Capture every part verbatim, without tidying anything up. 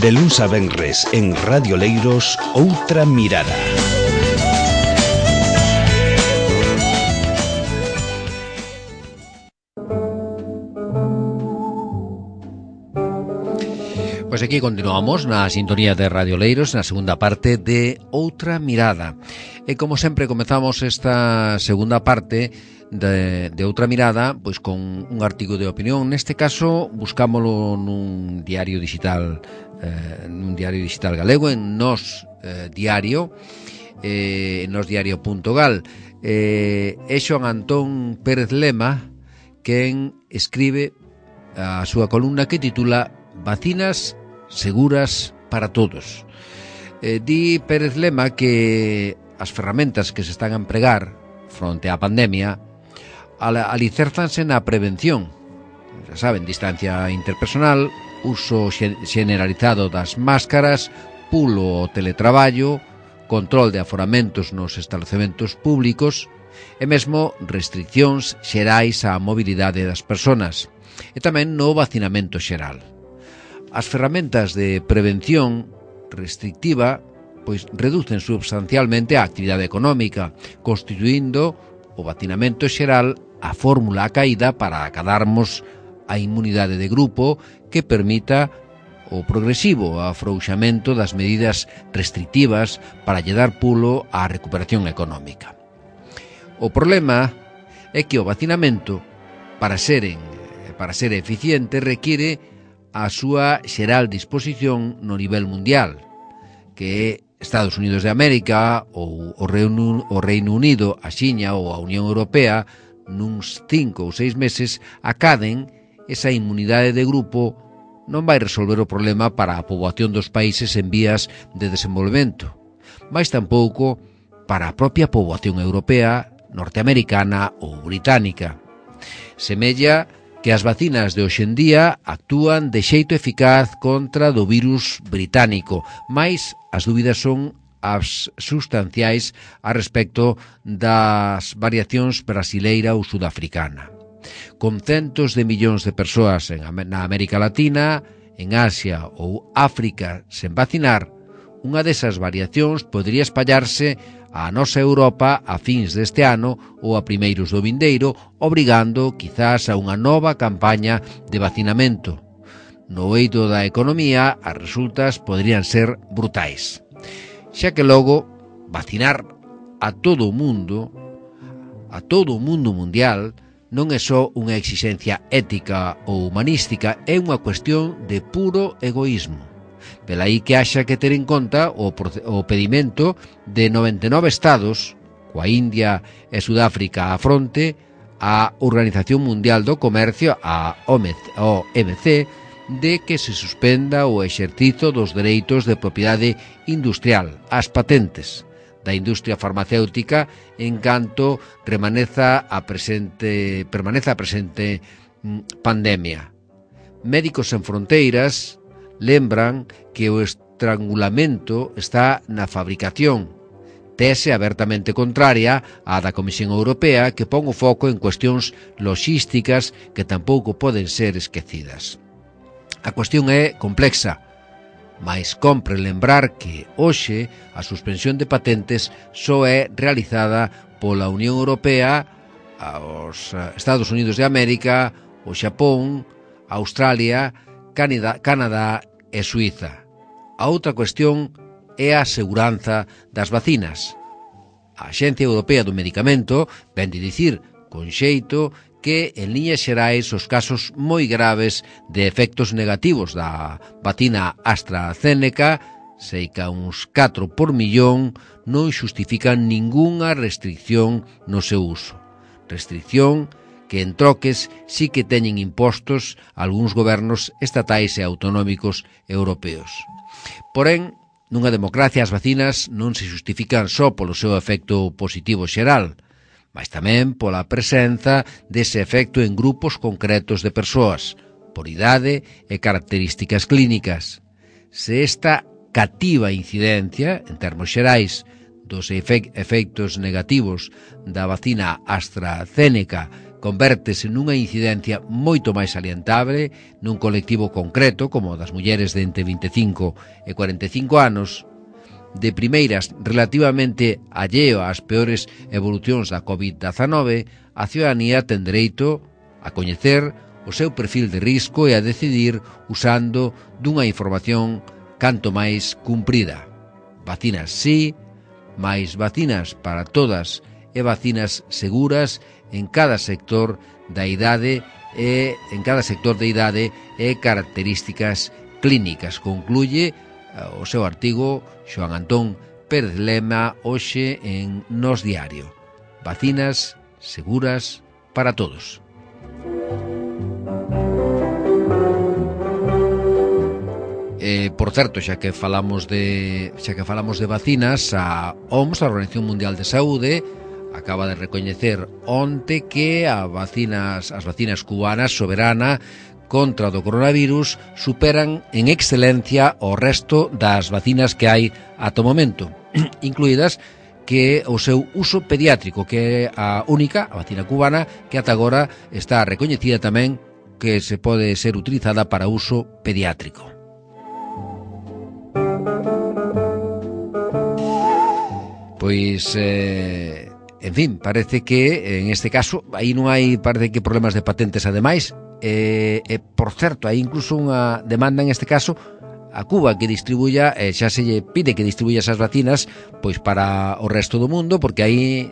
De luns a venres en Radio Leiros, Outra Mirada. Pois aquí continuamos na sintonía de Radio Leiros, na segunda parte de Outra Mirada. E como sempre comezamos esta segunda parte de, de Outra Mirada pois con un artigo de opinión. Neste caso buscámolo nun diario digital, eh, nun diario digital galego, en Nos eh, Diario, eh, en nosdiario.gal. Eh, é Xoan Antón Pérez Lema quen escribe a súa columna que titula Vacinas seguras para todos. Eh, di Pérez Lema que as ferramentas que se están a empregar fronte á pandemia alicérzanse na prevención. Já saben, distancia interpersonal, uso generalizado das máscaras, pulo ao teletraballo, control de aforamentos nos establecementos públicos e mesmo restriccións xerais á mobilidade das persoas e tamén no vacinamento xeral. As ferramentas de prevención restrictiva pois reducen substancialmente a actividade económica, constituindo o vacinamento xeral a fórmula a caída para acadarmos a inmunidade de grupo que permita o progresivo afrouxamento das medidas restrictivas para lle dar pulo á recuperación económica. O problema é que o vacinamento, para ser, en, para ser eficiente, requiere a súa xeral disposición no nivel mundial, que é Estados Unidos de América ou o Reino, o Reino Unido, a Xiña ou a Unión Europea, nuns cinco ou seis meses acaden esa inmunidade de grupo. Non vai resolver o problema para a poboación dos países en vías de desenvolvemento, mas tampouco para a propia poboación europea, norteamericana ou británica. Semella que as vacinas de hoxendía actúan de xeito eficaz contra do virus británico, mais as dúbidas son as sustanciais a respecto das variacións brasileira ou sudafricana. Con centos de millóns de persoas en, na América Latina, en Asia ou África sen vacinar, unha desas variacións podría espallarse a nosa Europa a fins deste ano ou a primeiros do vindeiro, obrigando quizás a unha nova campaña de vacinamento. No eido da economía, as resultas poderían ser brutais. Xa que logo, vacinar a todo o mundo, a todo o mundo mundial, non é só unha exixencia ética ou humanística, é unha cuestión de puro egoísmo. Velaí que haxa que ter en conta o, o pedimento de noventa e nove estados, coa India e Sudáfrica á fronte, a Organización Mundial do Comercio, a O M C, de que se suspenda o exercizo dos dereitos de propiedade industrial, as patentes da industria farmacéutica, en canto remaneza a presente, permaneza a presente pandemia. Médicos Sen Fronteiras lembran que o estrangulamento está na fabricación, tese abertamente contraria á da Comisión Europea, que pon o foco en cuestións loxísticas que tampouco poden ser esquecidas. A cuestión é complexa, mais compre lembrar que hoxe a suspensión de patentes só é realizada pola Unión Europea, os Estados Unidos de América, o Xapón, Australia, Canadá, Canadá e Suíza. A outra cuestión é a seguranza das vacinas. A Axencia Europea do Medicamento ven de dicir con xeito que en liñas xerais os casos moi graves de efectos negativos da vacina AstraZeneca, seica uns catro por millón, non xustifican ningunha restricción no seu uso. Restricción que en troques sí que teñen impostos algúns gobernos estatais e autonómicos europeos. Porén, nunha democracia as vacinas non se justifican só polo seu efecto positivo xeral, mas tamén pola presenza dese efecto en grupos concretos de persoas, por idade e características clínicas. Se esta cativa incidencia, en termos xerais, dos efectos negativos da vacina AstraZeneca convértese nunha incidencia moito máis salientable nun colectivo concreto como o das mulleres de entre vinte e cinco e cuarenta e cinco anos. De primeiras, relativamente alleo ás peores evolucións da covid dezanove, a ciudadanía ten dereito a coñecer o seu perfil de risco e a decidir usando dunha información canto máis cumprida. Vacinas sí, máis vacinas para todas e vacinas seguras en cada sector da idade e en cada sector de idade e características clínicas. Concluye o seu artigo Xoán Antón Pérez Lema hoxe en Nos Diario. Vacinas seguras para todos. Eh, por certo, xa que falamos de xa que falamos de vacinas, a O M S, a Organización Mundial de Saúde, acaba de recoñecer onte que a vacinas, as vacinas cubanas soberana contra o coronavirus superan en excelencia o resto das vacinas que hai ata o momento, incluídas que o seu uso pediátrico, que é a única, a vacina cubana, que ata agora está recoñecida tamén que se pode ser utilizada para uso pediátrico. Pois, eh, en fin, parece que en este caso aí non hai, parece que problemas de patentes ademais. E, e por certo, hai incluso unha demanda en este caso a Cuba que distribuya, eh, xa se lle pide que distribuya esas vacinas pois para o resto do mundo, porque aí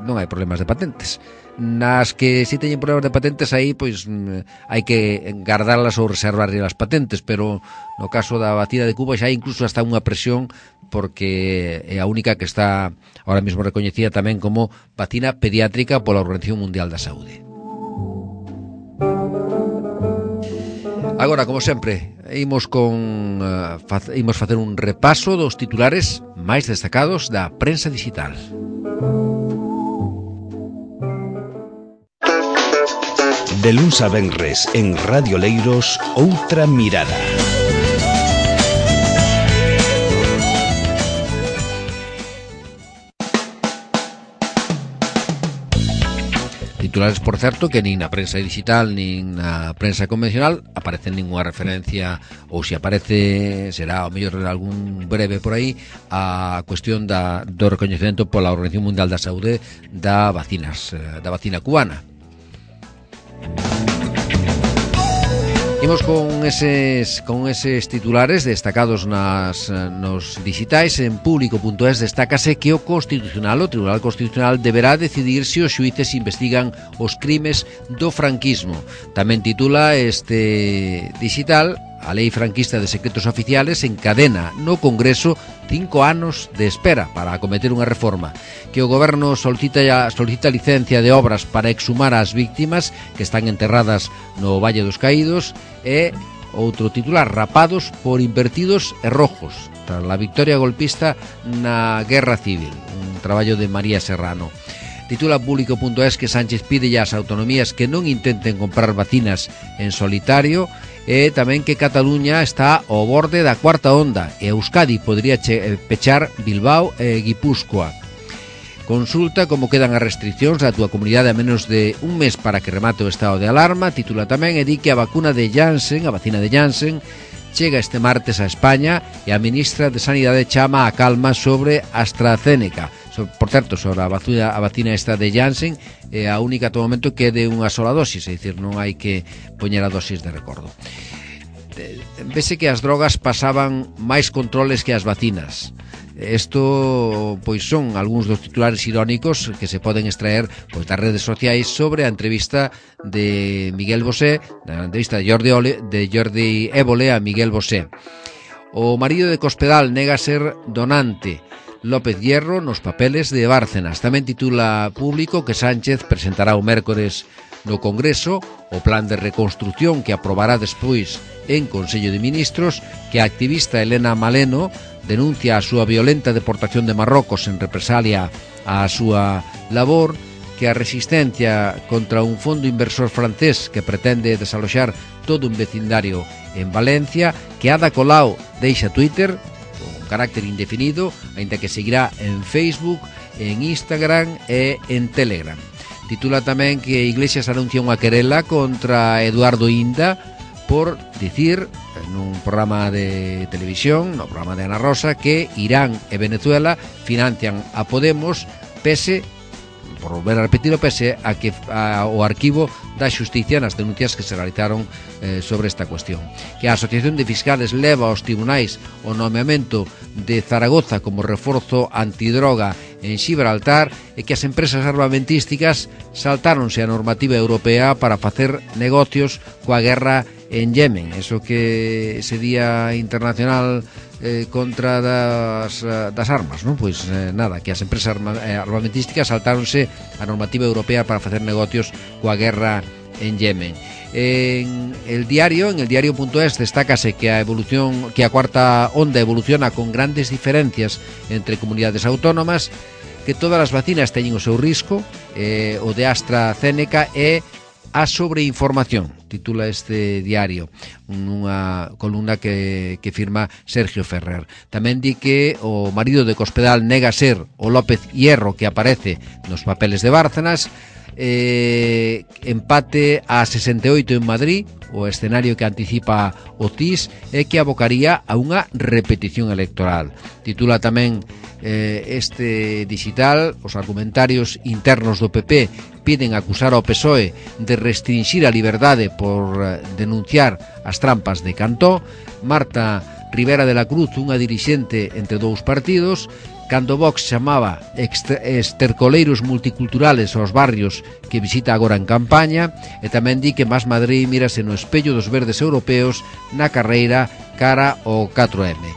non hai problemas de patentes. Nas que si teñen problemas de patentes aí pois hai que guardarlas ou reservarlle as patentes, pero no caso da vacina de Cuba xa hai incluso hasta unha presión porque é a única que está ahora mesmo recoñecida tamén como vacina pediátrica pola Organización Mundial da Saúde. Agora, como sempre, imos con uh, faz, imos facer un repaso dos titulares máis destacados da prensa digital. De luns a venres en Radio Leiros, Outra Mirada. Titulares, por certo, que nin na prensa digital nin na prensa convencional aparecen ninguna referencia, ou se aparece será ao mellor algún breve por aí, a cuestión da, do recoñecemento pola Organización Mundial da Saúde da vacinas, da vacina cubana. Imos con eses con eses titulares destacados nas nos digitais. En público punto es destácase que o Constitucional, o Tribunal Constitucional, deberá decidir se os xuíces investigan os crimes do franquismo. Tamén titula este digital: a lei franquista de secretos oficiales encadena no Congreso cinco anos de espera para acometer unha reforma. Que o Goberno solicita, solicita licencia de obras para exhumar as víctimas que están enterradas no Valle dos Caídos. E outro titular: rapados por invertidos e rojos tras a victoria golpista na Guerra Civil. Un traballo de María Serrano. Titula público punto es que Sánchez pide ás autonomías que non intenten comprar vacinas en solitario, e tamén que Cataluña está ao borde da cuarta onda e Euskadi podría che, pechar Bilbao e Guipúzcoa. Consulta como quedan as restriccións da túa comunidade a menos de un mes para que remate o estado de alarma. Titula tamén e di que a vacuna de Janssen, a vacina de Janssen, chega este martes a España e a ministra de Sanidade chama a calma sobre AstraZeneca. Por certo, sobre a vacina, a vacina esta de Janssen é a única ata o momento que é de unha sola dosis, é dicir, non hai que poñer a dosis de recordo. Vese que as drogas pasaban máis controles que as vacinas. Isto pois son algúns dos titulares irónicos que se poden extraer pois das redes sociais sobre a entrevista de Miguel Bosé, a entrevista de Jordi, Ole, de Jordi Évole a Miguel Bosé. O marido de Cospedal nega ser donante. López Hierro nos papeles de Bárcenas. Tamén titula público que Sánchez presentará o mércores no Congreso o plan de reconstrucción que aprobará despois en Consello de Ministros, que a activista Elena Maleno denuncia a súa violenta deportación de Marrocos en represalia á súa labor, que a resistencia contra un fondo inversor francés que pretende desaloxar todo un vecindario en Valencia, que Ada Colau deixa Twitter carácter indefinido, aínda que seguirá en Facebook, en Instagram e en Telegram. Titula tamén que Iglesias anuncia unha querela contra Eduardo Inda por dicir nun programa de televisión, no programa de Ana Rosa, que Irán e Venezuela financian a Podemos pese, por volver a repetir, pese a que a, o arquivo da Xusticia nas denuncias que se realizaron eh, sobre esta cuestión. Que a Asociación de Fiscales leva aos tribunais o nomeamento de Zaragoza como reforzo antidroga en Gibraltar e que as empresas armamentísticas saltáronse a normativa europea para facer negocios coa guerra en Yemen, eso que ese día internacional eh, contra das, das armas, non? Pois eh, nada, que as empresas arma, eh, armamentísticas saltáronse a normativa europea para facer negocios coa guerra en Yemen. En el diario, en el diario.es destácase que a evolución, que a cuarta onda evoluciona con grandes diferencias entre comunidades autónomas, que todas as vacinas teñen o seu risco, eh, o de AstraZeneca e a sobreinformación, titula este diario, unha columna que, que firma Sergio Ferrer. Tamén di que o marido de Cospedal nega ser o López Hierro que aparece nos papeles de Bárcenas. Eh, empate a sesenta e oito en Madrid, o escenario que anticipa o C I S e que abocaría a unha repetición electoral. Titula tamén eh, este digital: os argumentarios internos do P P piden acusar ao P S O E de restringir a liberdade por eh, denunciar as trampas de Cantó. Marta Rivera de la Cruz, unha dirixente entre dous partidos, cando Vox chamaba estercoleiros multiculturales aos barrios que visita agora en campaña, e tamén di que Más Madrid mírase no espello dos verdes europeos na carreira cara ao catro eme.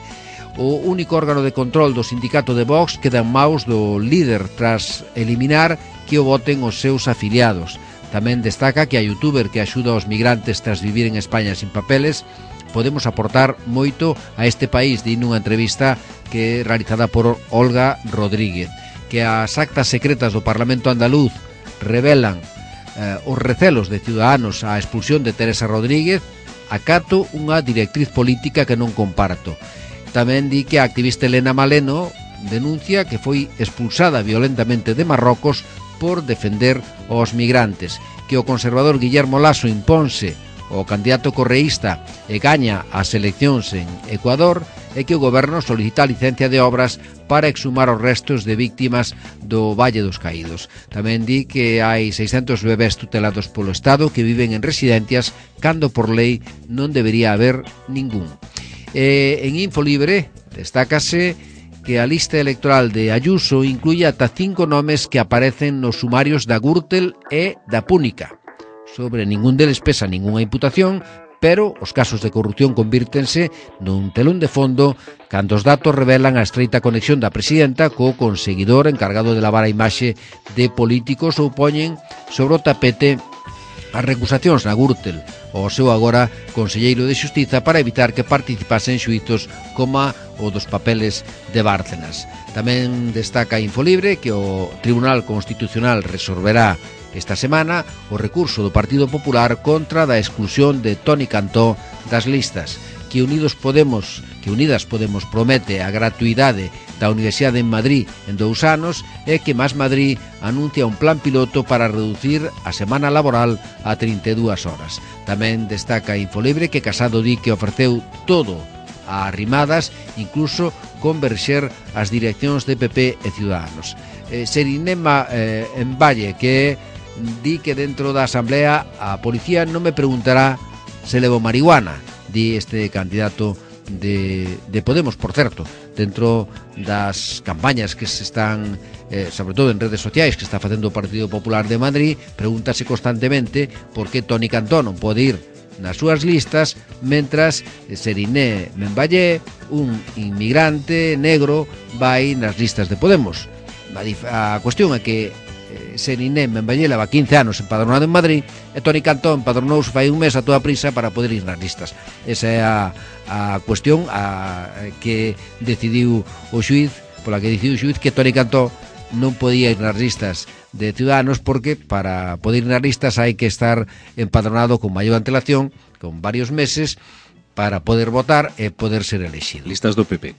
O único órgano de control do sindicato de Vox queda en maus do líder tras eliminar que o voten os seus afiliados. Tamén destaca que a youtuber que axuda aos migrantes tras vivir en España sin papeles: podemos aportar moito a este país, di nunha entrevista que é realizada por Olga Rodríguez. Que as actas secretas do Parlamento andaluz revelan eh, os recelos de Ciudadanos á expulsión de Teresa Rodríguez, acato unha directriz política que non comparto. Tamén di que a activista Elena Maleno denuncia que foi expulsada violentamente de Marrocos por defender aos migrantes. Que o conservador Guillermo Lasso imponse o candidato correísta e gaña as eleccións en Ecuador, e que o goberno solicita a licencia de obras para exhumar os restos de víctimas do Valle dos Caídos. Tamén di que hai seiscentos bebés tutelados polo Estado que viven en residencias cando por lei non debería haber ningún. E en Infolibre destácase que a lista electoral de Ayuso incluye ata cinco nomes que aparecen nos sumarios da Gürtel e da Púnica. Sobre ningún deles pesa ningunha imputación, pero os casos de corrupción convírtense nun telón de fondo cando os datos revelan a estreita conexión da presidenta co conseguidor encargado de lavar a imaxe de políticos ou poñen sobre o tapete as recusacións na Gürtel ao seu agora conselleiro de Xustiza para evitar que participase en xuizos como o dos papeles de Bárcenas. Tamén destaca Infolibre que o Tribunal Constitucional resolverá esta semana o recurso do Partido Popular contra da exclusión de Toni Cantó das listas. Que Unidos Podemos, que Unidas Podemos promete a gratuidade da Universidade en Madrid en dous anos, e que Más Madrid anuncia un plan piloto para reducir a semana laboral a trinta e dúas horas. Tamén destaca Infolibre que Casado di que ofreceu todo a Arrimadas, incluso converxer as direccións de P P e Ciudadanos. Eh, Serinema eh, en Valle, que di que dentro da Asamblea a policía non me preguntará se levo marihuana, di este candidato de, de Podemos, por certo, dentro das campañas que se están, eh, sobre todo en redes sociais, que está facendo o Partido Popular de Madrid, pregúntase constantemente por que Toni Cantó non pode ir nas súas listas, mentras Seriné Memballé, un inmigrante negro, vai nas listas de Podemos. A cuestión é que Seriné Memballé leva quince anos empadronado en Madrid e Toni Cantó empadronouse fai un mes a toda prisa para poder ir nas listas. Esa é a, a cuestión a, que decidiu o xuiz, pola que decidiu o xuiz que Toni Cantó non podía ir nas listas de Ciudadanos, porque para poder ir nas listas hai que estar empadronado con maior antelación, con varios meses, para poder votar e poder ser elegido. Listas do P P.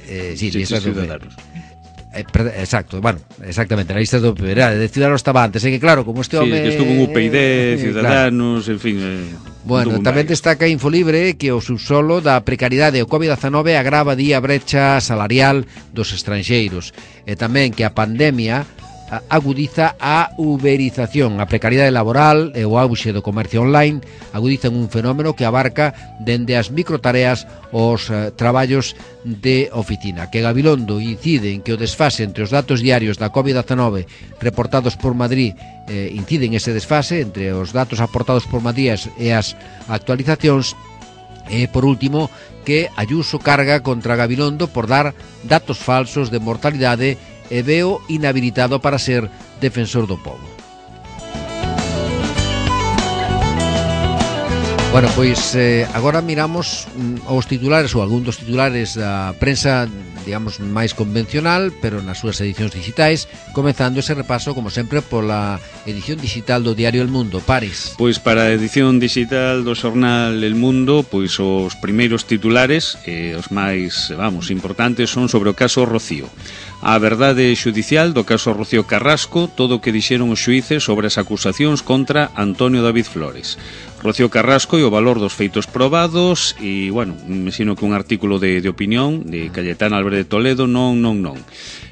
Eh, sí, listas do P P. Eh, per, exacto, bueno, exactamente, na lista do P P, era, de Ciudadanos estaba antes, é que claro, como este home... Sí, que estuvo en U P I D, Ciudadanos, claro. En fin... Eh, bueno, tamén destaca Infolibre que o subsolo da precariedade o covid dezanove agrava día a brecha salarial dos estranxeiros e tamén que a pandemia agudiza a uberización, a precariedade laboral e o auxe do comercio online agudizan un fenómeno que abarca dende as microtareas os uh, traballos de oficina. Que Gabilondo incide en que o desfase entre os datos diarios da covid dezanove reportados por Madrid eh, incide en ese desfase entre os datos aportados por Madrid e as actualizacións. E, por último, que Ayuso carga contra Gabilondo por dar datos falsos de mortalidade e veo inhabilitado para ser defensor do povo. Bueno, pois eh, agora miramos mm, os titulares ou algún dos titulares da prensa, digamos, máis convencional, pero nas súas edicións digitais, comezando ese repaso, como sempre, pola edición digital do diario El Mundo. Paris. Pois para a edición digital do xornal El Mundo, pois os primeiros titulares, eh, os máis, vamos, importantes, son sobre o caso Rocío. A verdade xudicial do caso Rocío Carrasco, todo o que dixeron os xuíces sobre as acusacións contra Antonio David Flores. Rocío Carrasco e o valor dos feitos probados e, bueno, me sino que un artículo de, de opinión de Cayetana Álvarez de Toledo, non, non, non.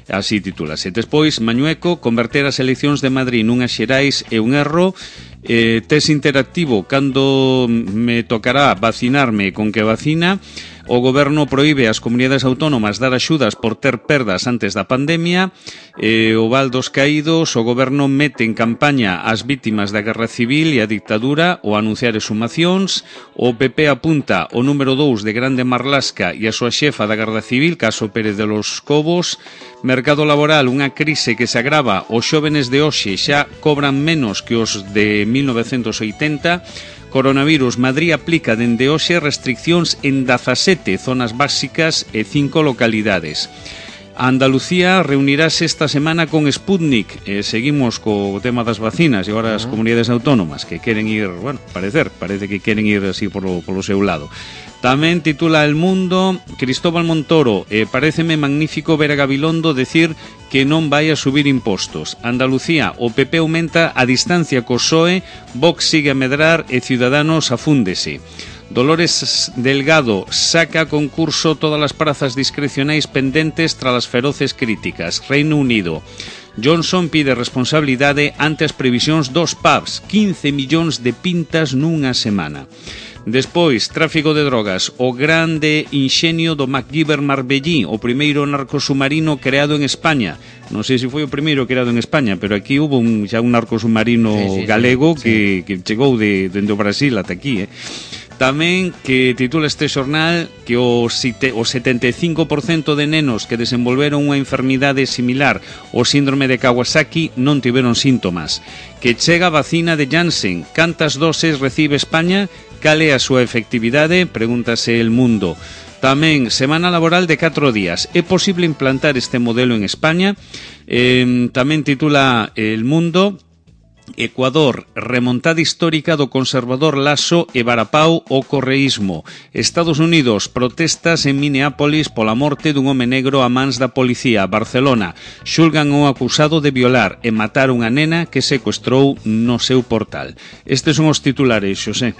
Así titúlase. Despois, Mañueco, converter as eleccións de Madrid nunhas xerais é un erro. Eh, test interactivo, cando me tocará vacinarme con que vacina. O goberno proíbe ás comunidades autónomas dar axudas por ter perdas antes da pandemia. Eh, o Val dos Caídos, o goberno mete en campaña as vítimas da guerra civil e a dictadura ao anunciar exhumacións. O P P apunta o número dous de Grande Marlasca e a súa xefa da guerra civil, Caso Pérez de los Cobos. Mercado laboral, unha crise que se agrava. Os xóvenes de hoxe xa cobran menos que os de mil novecentos oitenta. Coronavirus, Madrid aplica dende hoxe restriccións en dezasete zonas básicas e cinco localidades. Andalucía reunirase esta semana con Sputnik. Eh, seguimos co tema das vacinas e agora as comunidades autónomas que queren ir, bueno, parecer, parece que queren ir así polo, polo seu lado. Tamén titula El Mundo, Cristóbal Montoro, eh, paréceme magnífico ver a Gabilondo decir que non vai a subir impostos. Andalucía, o P P aumenta a distancia co P S O E, Vox sigue a medrar e Ciudadanos afúndese. Dolores Delgado saca a concurso todas as prazas discrecionais pendentes tras as feroces críticas. Reino Unido. Johnson pide responsabilidade ante as previsións dos pubs, quince millóns de pintas nunha semana. Despois, tráfico de drogas, o grande inxenio do MacGyver Marbellí, o primeiro narcosubmarino creado en España. Non sei se foi o primeiro creado en España, pero aquí hubo un, xa un narcosubmarino sí, sí, galego sí, que, sí. que chegou de, dende o Brasil ata aquí, eh. Tamén que titula este xornal que o, o setenta e cinco por cento de nenos que desenvolveron unha enfermidade similar ao síndrome de Kawasaki non tiveron síntomas. Que chega a vacina de Janssen. Cantas doses recibe España? Cal é a súa efectividade? Pregúntase El Mundo. Tamén, semana laboral de catro días. É posible implantar este modelo en España? Eh, tamén titula El Mundo... Ecuador, remontada histórica do conservador Lasso e varapau o correísmo. Estados Unidos, protestas en Minneapolis pola morte dun home negro a mans da policía. Barcelona, xulgan o acusado de violar e matar unha nena que secuestrou no seu portal. Estes son os titulares, Xosé.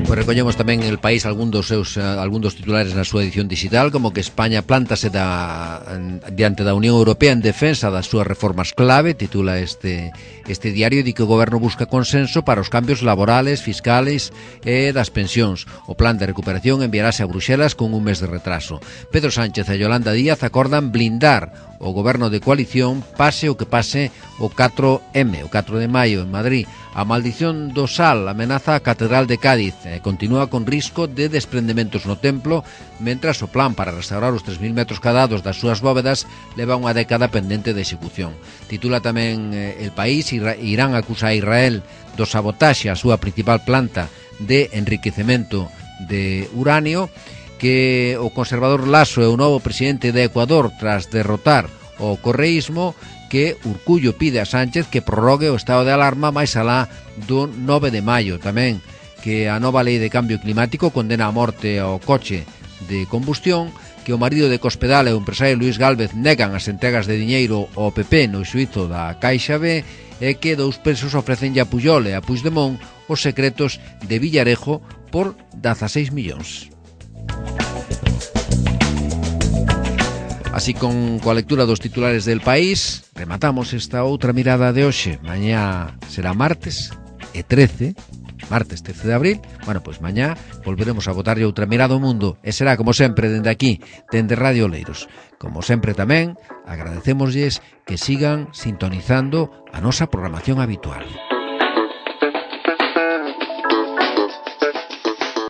Pois recollemos tamén El País algún dos seus uh, algún dos titulares na súa edición digital, como que España plántase da, en, diante da Unión Europea en defensa das súas reformas clave, titula este este diario, di que o goberno busca consenso para os cambios laborales, fiscales e das pensións. O plan de recuperación enviarase a Bruxelas con un mes de retraso. Pedro Sánchez e Yolanda Díaz acordan blindar o goberno de coalición pase o que pase o catro eme, o catro de maio en Madrid. A maldición do sal amenaza a Catedral de Cádiz e continúa con risco de desprendementos no templo, mentras o plan para restaurar os tres mil metros cadrados das súas bóvedas leva unha década pendente de execución. Titula tamén eh, El País, Irán acusa a Israel do sabotaxe a súa principal planta de enriquecemento de uranio, que o conservador Lasso é o novo presidente de Ecuador tras derrotar o correísmo, que Urcullo pide a Sánchez que prorrogue o estado de alarma máis alá do nove de maio. Tamén que a nova lei de cambio climático condena a morte ao coche de combustión. que o marido de Cospedal e o empresario Luís Gálvez negan as entregas de diñeiro ao P P no xuízo da Caixa B e que dous presos ofrecenlle a Pujol e a Puigdemont os secretos de Villarejo por dezaseis millóns. Así con coa lectura dos titulares del País, rematamos esta outra mirada de hoxe. Mañá será martes e trece, martes trece de abril. Bueno, pois mañá volveremos a botarlle outra mirada ao mundo e será, como sempre, dende aquí, dende Radio Oleiros. Como sempre tamén, agradecémoslles que sigan sintonizando a nosa programación habitual.